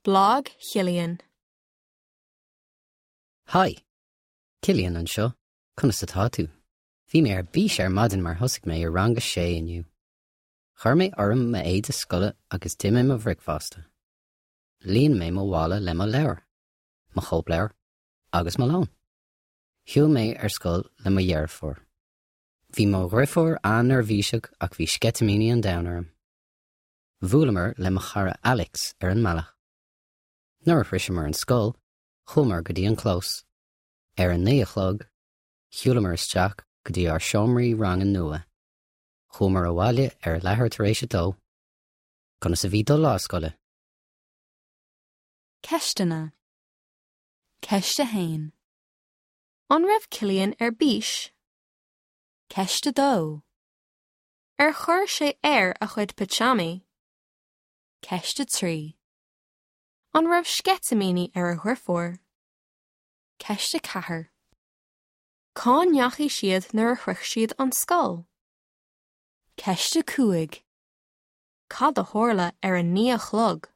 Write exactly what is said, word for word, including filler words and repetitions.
Blag Chillian. Hi, Cillian anseo, conas atá tú? Bhí mé ar bís ar maidin mar thosaigh mé i rang a sé inniu. Chuir mé orm m'éide scoile agus d'ith mé mo bhricfeasta. Líon mé mo mhála le mo leabhair, mo chóipleabhar agus mo lón. Shiúil mé ar scoil le mo dheirfiúr. Bhí mo dheirfiúr an-neirbhíseach ach bhí sceitimíní an domhain orm. Bhuaileamar le mo chara Alex ar an mbealach. Nuair a shroicheamar an scoil, chuamar go dtí an clós. Ar a naoi a chlog, shiúlamar isteach go dtí ár seomraí ranga nua. Chuamar abhaile ar leathuair tar éis a dó. Conas a bhí do lá scoile. Ceisteanna. Ceist a haon. An raibh Cillian ar bís? Ceist a dó. Ar chuir sé air a chuid pitseámaí? Ceist a trí. An raibh sceitimíní ar a dheirfiúr? Ceist a ceathair. Cá ndeachaigh siad nuair a shroich siad an scoil? Ceist a cúig. Cad a tharla ar a naoi a chlog?